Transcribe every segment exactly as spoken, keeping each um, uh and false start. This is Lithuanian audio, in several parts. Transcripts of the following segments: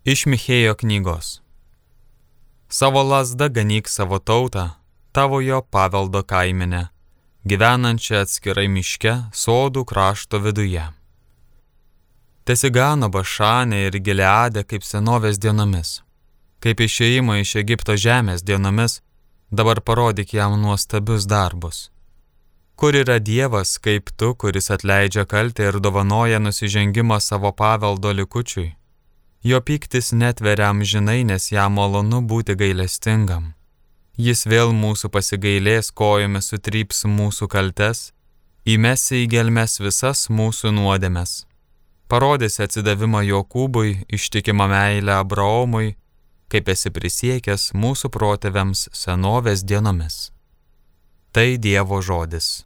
Iš Michėjo knygos. Savo lazda ganyk savo tautą, tavojo paveldo kaimenę, gyvenančią atskirai miške, sodų krašto viduje. Tesigano Bašanė ir Gileade kaip senovės dienomis, kaip išėjimo iš Egipto žemės dienomis, dabar parodyk jam nuostabius darbus. Kur yra Dievas kaip tu, kuris atleidžia kaltę ir dovanoja nusižengimą savo paveldo likučiui? Jo pyktis netveria amžinai, nes jam malonu būti gailestingam. Jis vėl mūsų pasigailės, kojomis sutryps mūsų kaltes, įmesi į gelmes visas mūsų nuodėmes. Parodys atsidavimą Jokūbui, ištikimą meilę Abraomui, kaip esi prisiekęs mūsų protėviams senovės dienomis. Tai Dievo žodis.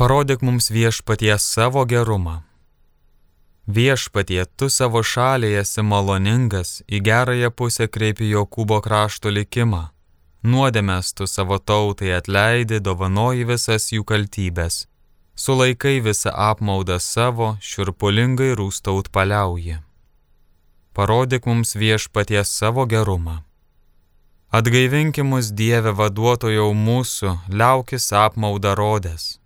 Parodyk mums Viešpatie savo gerumą. Viešpatie, tu savo šaliai esi maloningas, į gerąją pusę kreipi Jokūbo krašto likimą. Nuodėmes tu savo tautai atleidi, dovanoji visas jų kaltybės. Sulaikai visą apmaudą savo, šiurpulingai rūstaut paliauji. Parodyk mums Viešpatie savo gerumą. Atgaivinki mus Dieve vaduotojau mūsų, liaukis apmaudą rodęs.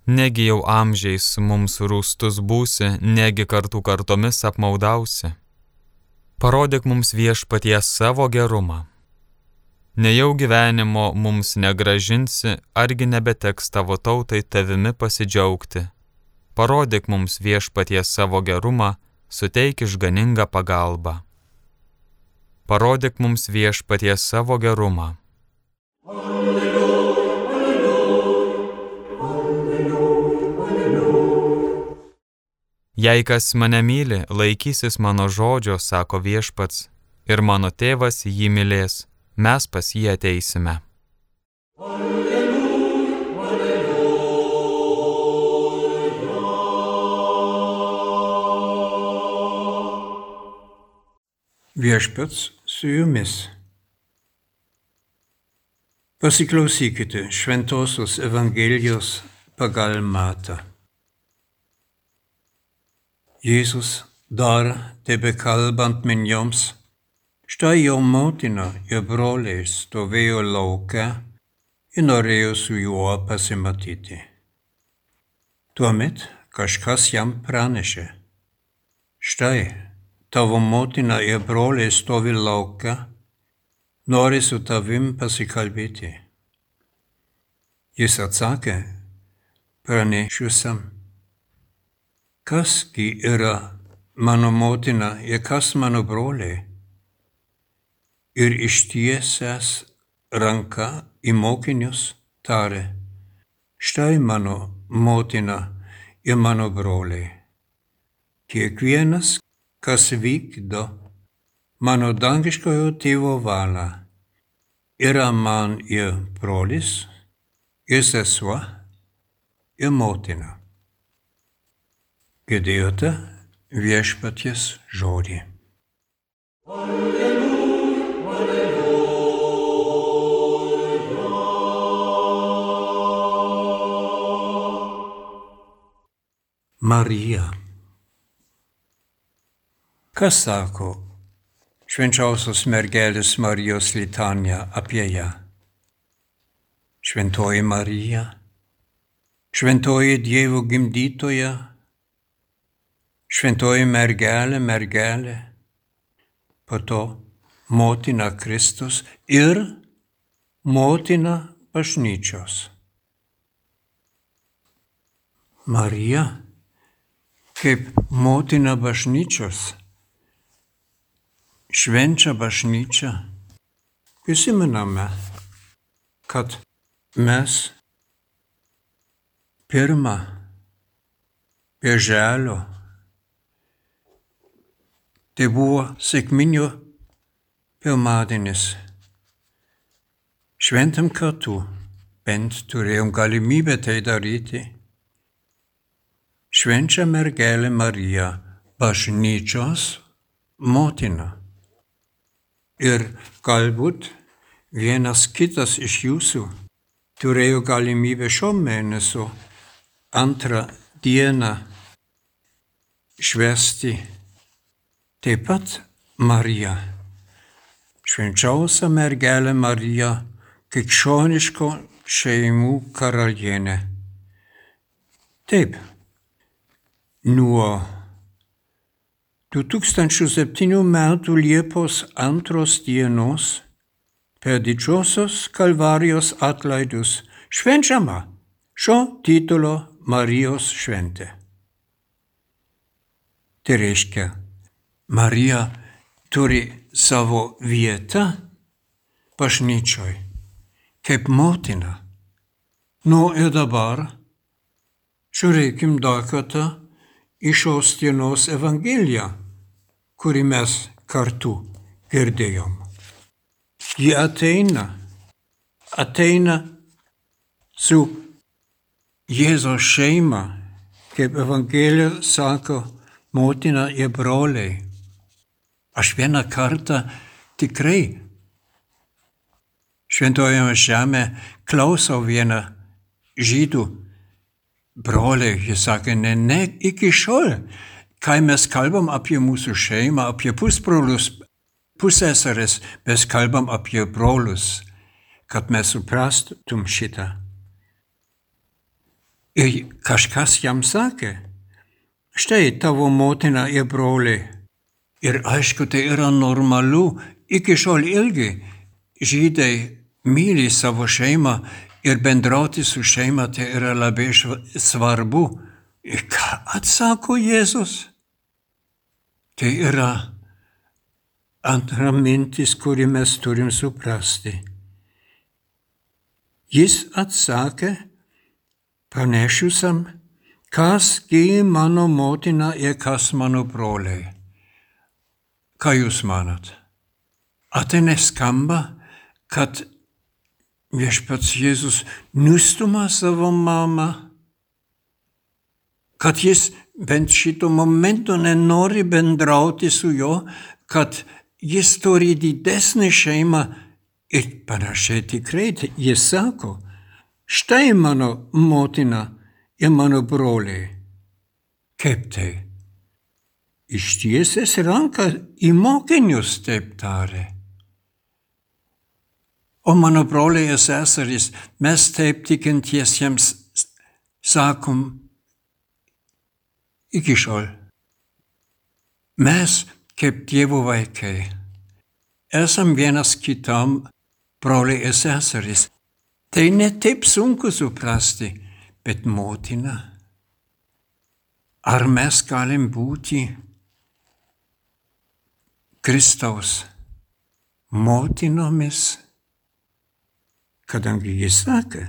Negi jau amžiais mums rūstus būsi, negi kartų kartomis apmaudausi. Parodyk mums Viešpatie savo gerumą. Nejau gyvenimo mums negražinsi, argi nebeteks tavo tautai tavimi pasidžiaugti. Parodyk mums Viešpatie savo gerumą, suteik išganingą pagalbą. Parodyk mums Viešpatie savo gerumą. Jei kas mane myli, laikysis mano žodžio, sako Viešpats, ir mano tėvas jį mylės, mes pas jį ateisime. Alleluja, alleluja. Viešpats su jumis. Pasiklausykite Šventosios Evangelijos pagal Matą. Jėzus dar tebekalbant minioms, štai jo motina ir broliai stovėjo lauke ir norėjo su juo pasimatyti. Tuomet kažkas jam pranešė, štai tavo motina ir broliai stovi lauke, nori su tavim pasikalbėti. Jis atsakė pranešusiam, kasgi yra mano motina ir kas mano broliai? Ir ištiesęs ranką į mokinius tarė, štai mano motina ir mano broliai. Kiekvienas, kas vykdo mano dangiškojo tėvo valią, yra man ir brolis, ir sesuo, ir motina. Girdėjote Viešpaties žodį. Alleluja, alleluja. Marija. Kas sako švenčiausios mergelės Marijos litanija apie ją? Šventoji Marija, šventoji Dievo gimdytoja, šventoji mergelė, mergelė, po to motina Kristus ir motina bažnyčios. Marija, kaip motina bažnyčios, švenčia bažnyčią. Prisimename, kad mes pirmą birželio, tai buvo sekminių pirmadienis, šventam kartu bent turėjom galimybę tai daryti. Švenčia mergelė Marija, bažnyčios motina. Ir galbūt vienas kitas iš jūsų turėjo galimybę šio mėnesio antrą dieną švęsti taip pat Mariją. Švenčiausia mergelė Marija, krikščioniško šeimų karalienė. Taip, nuo du tūkstančiai septynių metų Liepos antros dienos per didžiosios Kalvarijos atlaidus švenčiama šio titulo Marijos šventė. Tai reiškia, Marija turi savo vietą bažnyčioj, kaip motina. Nu ir dabar žiūrėkim dar kartą į šios dienos Evangeliją, kurį mes kartu girdėjom. Ji ateina, ateina su Jėzaus šeima, kaip Evangelija sako, motina ir broliai. Aš vieną kartą tikrai šventojame žemę klausau vieną žydų broliai. Jis sakė, ne, ne, iki šiol, kai mes kalbam apie mūsų šeimą, apie pusbrolius, pusseseres, mes kalbam apie brolius, kad mes suprastum šitą. Ir kažkas jam sakė, štai tavo motina ir broliai. Ir aišku, tai yra normalu, iki šiol ilgi žydai myli savo šeimą ir bendrauti su šeima, tai yra labai svarbu. Ir ką atsako Jėzus? Tai yra antra mintis, kurį mes turim suprasti. Jis atsakė pranešiusam, kas gi mano motina ir kas mano broliai. Ką jūs manat? Ar tai neskamba, kad viešpats Jėzus nustuma savo mamą? Kad jis bent šito momento nenori bendrauti su juo, kad jis turi didesnį šeimą ir panašiai tikrai jis sako, štai mano motina ir mano broliai. Kaip tai? Ištiesęs ranką į mokinius taip tarė. O mano broliai ir seserys, mes taip tikintiesiems sakom iki šiol. Mes, kaip Dievo vaikai, esam vienas kitam broliai ir seserys. Tai ne taip sunku suprasti, bet motina. Ar mes galim būti Kristaus motinomis, kadangi jis sakė,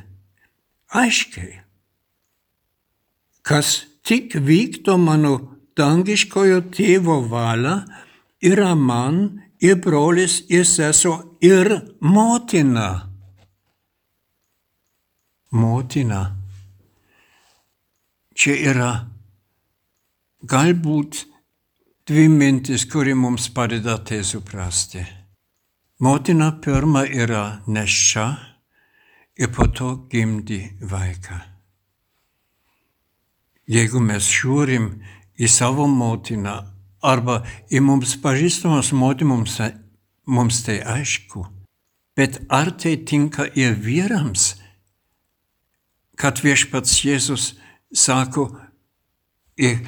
aiškiai, kas tik vykdo mano dangiškojo tėvo valią, yra man ir brolis ir sesuo ir motina. Motina. Čia yra galbūt dvi mintis, kuri mums padeda tai suprasti. Motina pirma yra neščia ir po to gimdi vaiką. Jeigu mes žiūrim į savo motiną arba į mums pažįstamas motinas, mums tai aišku. Bet ar tai tinka ir vyrams, kad viešpats Jėzus sako, ir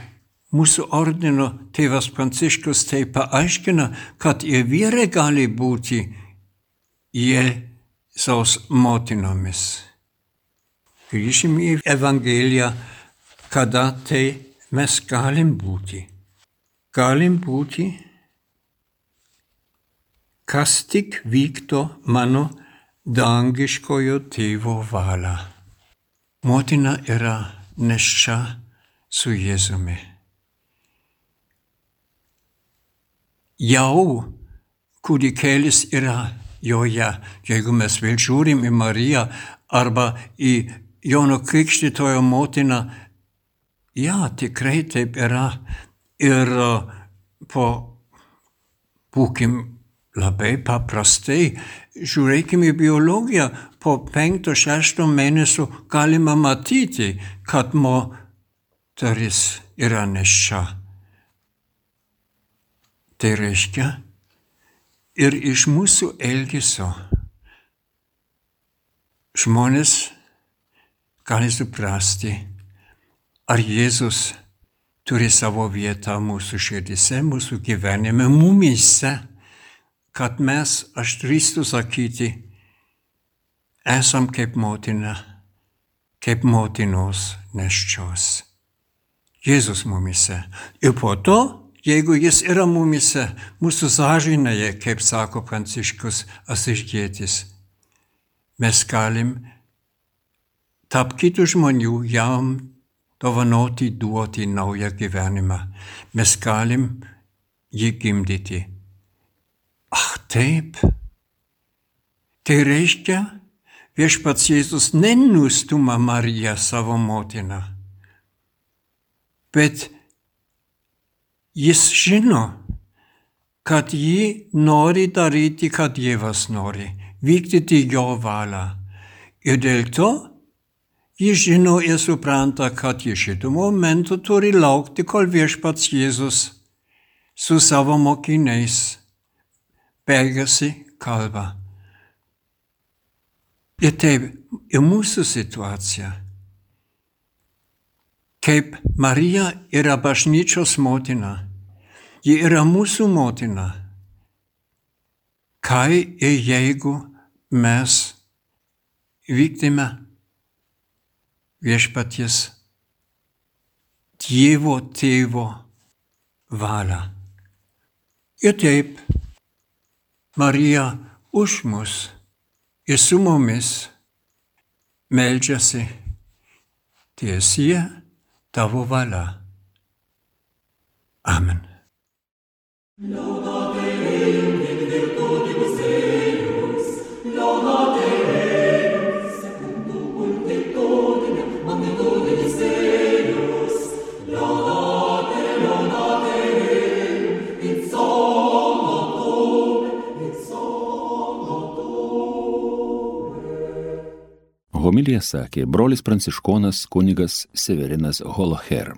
mūsų ordino tėvas Pranciškus tai paaiškina, kad ir vyrai gali būti Jėzaus motinomis. Grįžim į Evangeliją, kada tai mes galim būti. Galim būti, kas tik vykdo mano dangiškojo tėvo valią. Motina yra neščia su Jėzumi. Jau kūdikėlis yra joje. Jeigu mes vėl žiūrim į Mariją, arba į Jono Krikštytojo motiną. Ja, tikrai taip yra. Ir po, būkim labai paprastai, žiūrėkime į biologiją, po penkto, šešto mėnesio galima matyti, kad moteris yra nėščia. Tai reiškia, ir iš mūsų elgesio žmonės gali suprasti, ar Jėzus turi savo vietą mūsų širdise, mūsų gyvenime, mumyse, kad mes, aš drįstu sakyti, esam kaip motina, kaip motinos nėščios. Jėzus mumyse. Ir po to, jeigu jis yra mumyse, mūsų sąžinėje, kaip sako Pranciškus Asyžietis, mes galim tarp kitų žmonių jam dovanoti, duoti naują gyvenimą. Mes galim jį gimdyti. Ach, taip. Tai reiškia, viešpats Jėzus nenustuma Mariją savo motiną, bet jis žino, kad ji nori daryti, ką Dievas nori, vykdyti jo valią. Ir dėl to jis žino ir supranta, kad ji šitų momentų turi laukti, kol viešpats Jėzus su savo mokiniais baigėsi kalbą. Ir taip, ir mūsų situacija. Kaip Marija yra bažnyčios motina, ji yra mūsų motina. Kai ir jeigu mes vykdyme viešpaties Dievo tėvo valią. Ir taip, Marija už mus ir su mumis meldžiasi, tiesie tavo valia. Amen. Homiliją sakė brolis pranciškonas kunigas Severinas Holoher.